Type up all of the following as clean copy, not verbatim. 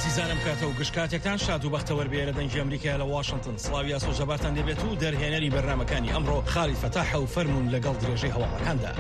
ئازیزانم کاتە و گشت کاتێکتان شاد و بەختەوەر بێ لە دەنگی ئەمریکا لە واشنتن سڵاوی ئاسۆ جەبارتان لێبێت و دەرهێنەری بەرنامەکانی ئەمڕۆ خالید فەتاحە و فەرموون لەگەڵ درێژەی هەواڵەکاندا.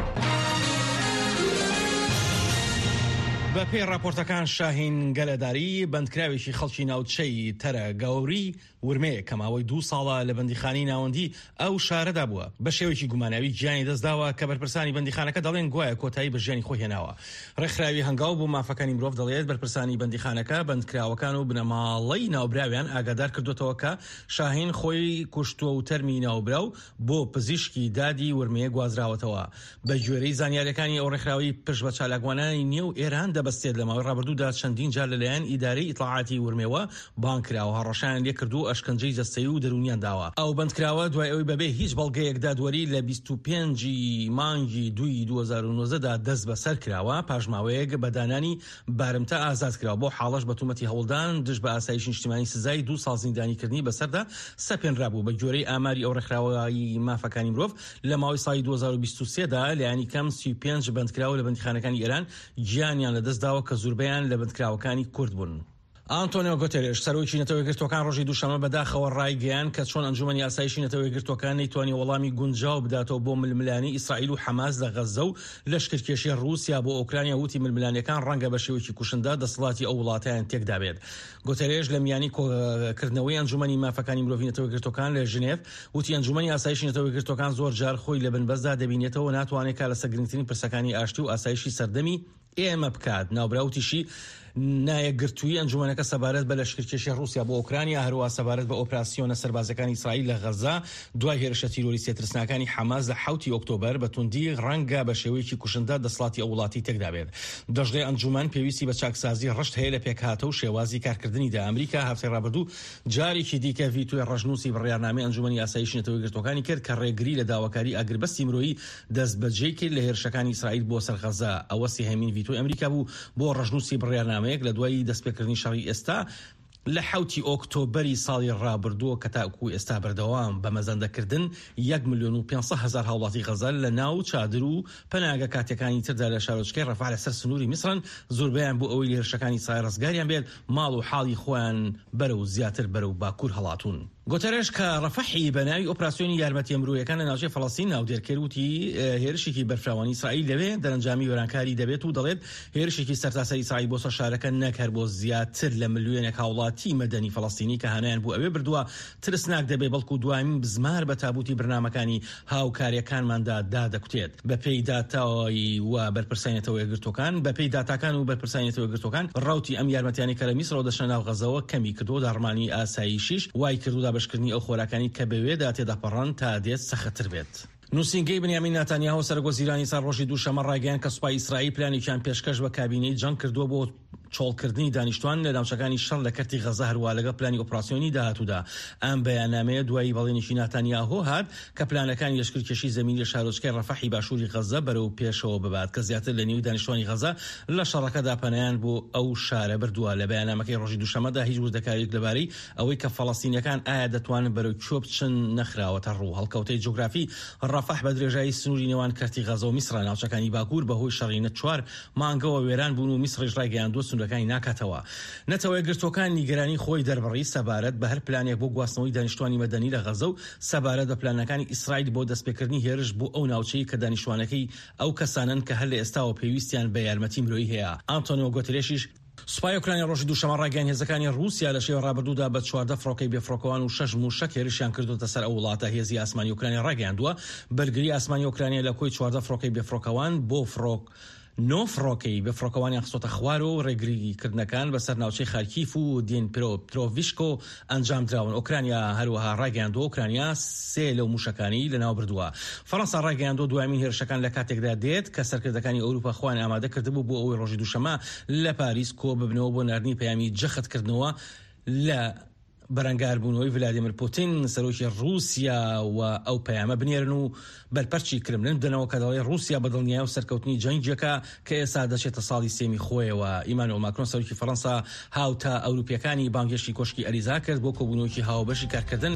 بە پێی ڕاپۆرتەکان شاهین گەلەداری بەندکراوێکی خەڵکی ناوچەی تەرە گەوری ورمێ کە ماوەی دوو ساڵە لە بەندیخانەی ناوەندی ئەو شارەدا بووە، بە شێوەیەکی گوماناوی گیانی دەستداوە کە بەرپرسانی بەندیخانەکە دەڵێن گوایە کۆتایی بە ژیانی خۆی هێناوە. ڕێکخراوی هەنگاو بۆ مافەکانی مرۆڤ دەڵێت بەرپرسانی بەندیخانەکە بەندکراوەکان و بنەماڵەی ناوبراویان ئاگادار کردووەتەوە کە شاهین خۆی کوشتووە و تەرمی ناوبراو بۆ پزیشکی دادی ورمێ گوازراوەتەوە. بە گوێرەی زانیاریەکانی ئەو ڕێکخراوەی پشت بە چالاکوانانی نێو ئێران دەبەستێت لە ماوەی ڕابردوودا چەندین جار لەلایەن ئیدارەی ئیتڵاعاتی ورمێوە بانگ کراوە هەڕەشەیان لێکردوو و ئەشکەنجەی جەستەیی و دەروونیان داوە. ئەو بەندکراوە دوای ئەوەی بەبێ هیچ بەڵگەیەک دادوەری لە 25 ی مانگی دووی 2019 دا دەستبەسەر کراوە، پاش ماوەیەک بە دانانی بارمتە ئازاد کرا و بەو حاڵەش بە تومەتی هەوڵدان دژ بە ئاسایشی نیشتیمانی سزای دوو ساڵ زیندانیکردنی بەسەردا سەپێنرابوو. بە گوێرەی ئاماری ئەو ڕێکخراوەی مافەکانی مرۆڤ، لە ماوەی ساڵی 2023 دا لایەنی کەم 35 بەندکراو لە بەندیخانەکانی ئێران گیانیان لەدەستداوە کە زوربەیان لە بەندکراوەکانی کورد بوون. ئانتۆنیۆ گۆتێرێش، سەرۆکی نەتەوە یەکگرتووەکان ڕۆژی دووشەممە بەداخەوە ڕایگەیاند کە چۆن ئەنجومەنی ئاسایشی نەتەوە یەکگرتووەکان نەیتوانی وەڵامی گونجاو بداتەوە بۆ ململانێی ئیسرائیل و حەماس لە غەززە و لەشکرکێشی ڕووسیا بۆ ئۆکرانیا وتی ململانێکان ڕەنگە بە شێوەیەکی کوشندە دەسەڵاتی ئەو وڵاتەیان تێکدابێت. گۆتێرێش لە میانی کۆکردنەوەی ئەنجومەنی مافەکانی مرۆڤی نەتەوە یەکگرتووەکان لە ژنێڤ وتی ئەنجومەنی ئاسایشی نەتەوە یەکگرتووەکان زۆر جار خۆی لە بنبەستدا دەبینێتەوە و ناتوانێت کار لەسەر گرنگترین پرسەکانی ئاشتی و ئاسایشی سەردەمی ئێمە بکات. ناوبراو وتیشی، نایەکگرتوویی ئەنجومەنەکە سەبارەت بە لەشکرکێشی ڕووسیا بۆ ئۆکرانیا، هەروەها سەبارەت بە ئۆپراسیۆنە سەربازیەکانی ئیسرائیل لە غەززە دوای هێرشە تیرۆریستیە ترسناکانی حەماس لە حەوتی ئۆکتۆبەر، بە توندی ڕەنگە بە شێوەیەکی کوشندە دەسەڵاتی ئەو وڵاتەی تێکدابێت. دەشڵێ ئەنجومەن پێویستی بە چاکسازی ڕشت هەیە لە پێکهاتە و شێوازی کارکردنیدا. ئەمریکا هەفتەی ڕابردوو جارێکی دیکە ڤیتۆی ڕەشنووسی بڕیارنامەی ئەنجومەنی ئاسایشی نەتەوە یەکگرتووەکانی کرد کە ڕێگری لە داواکاری ئاگربەستی مرۆیی دەستبەجێی کرد لە هێرشەکانی ئیسرائیل بۆ سەر غەززە، ئەوە سێهەمین ڤیتۆی ئەمریکا بوو بۆ ڕەشنووسی بڕیارنامەیەک لە دوای دەستپێکردنی شەڕی ئێستا لە حەوتی ئۆکتۆبەری ساڵی ڕابردووە کە تاکوو ئێستا بەردەوام بە مەزەندەکردن یەک ملیۆن و 500 هەزار هاوڵاتی غەززە لە ناو چادر و پەناگە کاتیەکانی تردا لە شارۆچکەی ڕەفەح لەسەر سنووری میسرن، زۆربەیان بۆ ئەوەی لە هێرشەکانی ئیسرائیل ڕزگاریان بێت ماڵ و حاڵی خۆیان بەرەو زیاتر بەرەو باکوور هەڵاتوون. گۆتەرێش کە ڕەفەحی بە ناوی ئۆپراسیۆنی یارمەتیە مرۆیەکان لە ناوچەی فەڵەستین ناودێر کرد وتی هێرشێکی بەرفراوانی ئیسرائیل لەوێ دەرەنجامی وێرانکاری دەبێت و دەڵێت هێرشێکی سەرتاسەری ئیسرائیل بۆ سەر شارەکە نەک هەر بۆ زیاتر لە ملیۆنێک هاوڵاتی مەدەنی فەڵەستینی کە هانایان بۆ ئەوێ بردووە ترسناک دەبێت بەڵکو دوایین بزمار بە تابوتی برنامەکانی هاوکاریەکانماندا دادەکوتێت. بەپێی داتای و بەرپرسانی نەتەوە یەکگرتووەکان، بەپێی داتاکان و بەرپرسانی نەتەوە یەکگرتووەکان، ڕەوتی ئەم یارمەتیانەی کە لە میسرەوە دەچنە ناو غەزەوە کەمی کردووە و داڕمانی ئاسایشیش وای کردووە دابەشکردنی ئەو خۆراکانەی کە بەوێدا تێدەپەڕن تا دێت سەختتر بێت. نووسینگەی بنیامین ناتانیاهۆ سەرۆک وەزیرانی ئیسرائیل ڕۆژی دووشەممە ڕایگەیاند کە سوپای ئیسرائیل پلانێکیان پێشکەش بە کابینەی جەنگ کردووە بۆ چۆڵکردنی دانیشتوان لە ناوچەکانی شەڕ لە کەرتی غەزە هەروا لەگەڵ پلانی ئۆپراسیۆنی داهاتوودا. ئەم بەیاننامەیە دوای بەڵێنێکی ناتانیاهۆ هات کە پلانەکانی لەشکرکێشی زەمینی لە شارۆچکەی ڕەفەحی باشووری غەزە بەرەو پێشەوە ببات کە زیاتر لە نیوەی دانیشتوانی غەزە لە شەڕەکەدا پەنایان بۆ ئەو شارە بردووە. لە بەیاننامەکەی ڕۆژی دووشەممەدا هیچ وردەکارییەک لەبارەی ئەوەی کە فەڵەستینییەکان ئایا دەتوانن بەرەو کوێ بچن نەخراوەتە ڕوو. هەڵکەوتەی جوگرافی ڕەفەح بە درێژایی سنووری نێوان کەرتی غەزە و میسرە. ناوچەکانی باکوور بەهۆی شەڕی چوار مانگەوە وێران بوون و میسڕیش ڕایگەیاندووە سنوورەکانی ناکاتەوە. نەتەوەیەکگرتووەکان نیگەرانی خۆی دەربڕی سەبارەت بە هەر پلانێک بۆ گواستنەوەی دانیشتوانی مەدەنی لە غەزە و سەبارەت بە پلانەکانی ئیسرائیل بۆ دەستپێکردنی هێرش بۆ ئەو ناوچەی کە دانیشتوانەکەی ئەو کەسانەن کە هەر لە ئێستاوە پێویستیان بە یارمەتی مرۆیی هەیە. ئانتۆنیۆ گۆترێشیش سوپای ئۆکرانیا ڕۆژی دووشەممە ڕایگەیاند هێزەکانی ڕووسیا لە شەوی ڕابردوودا بە 14 فڕۆکەی بێفڕۆکەوان و شەش مووشەک هێرشیان کردووەتە سەر ئەو وڵاتە. هێزی ئاسمانی ئۆکرانیا ڕایگەیاندووە بەرگری ئاسمانی ئۆکرانیا لە کۆی 14 فڕۆکەی بێفڕۆکەوان بۆ فڕۆک نۆ فڕۆکەی بێفڕۆکەوانیان خستۆتە خوارەوە و ڕێگریکردنەکان بەسەر ناوچەی خارکیف و دنیپرۆپترۆڤسک ئەنجامدراون. ئۆکرانیا هەروەها ڕایگەیاندووە ئۆکرانیا سێ لەو مووشەکانەی لەناوبردووە. فەرەنسا ڕایگەیاندووە دوایەمین هێرشەکان لە کاتێکدا دێت کە سەرکردەکانی ئەوروپا خۆیان ئامادە کردبوو بۆ ئەوەی ڕۆژی دووشەممە لە پاریس کۆببنەوە بۆ ناردنی پەیامی جەختکردنەوە لە بەرەنگاربوونەوەی ڤلادیمیر پوتین سەرۆکی ڕووسیا و ئەو پەیامە بنێرن و بەرپەرچی کرملن بدەنەوە کە دەڵێ ڕووسیا بە دڵنیایەوە سەرکەوتنی جەنگێکە کە ئێستا دەچێتە ساڵی سێمی خۆیەوە. ئیمانوێل ماکرۆن سەرۆکی فەرەنسا هاوتا ئەوروپییەکانی بانگهێشتی کۆشکی ئەلیزا کرد بۆ کۆبوونەوەیەکی هاوبەشی کارکردن.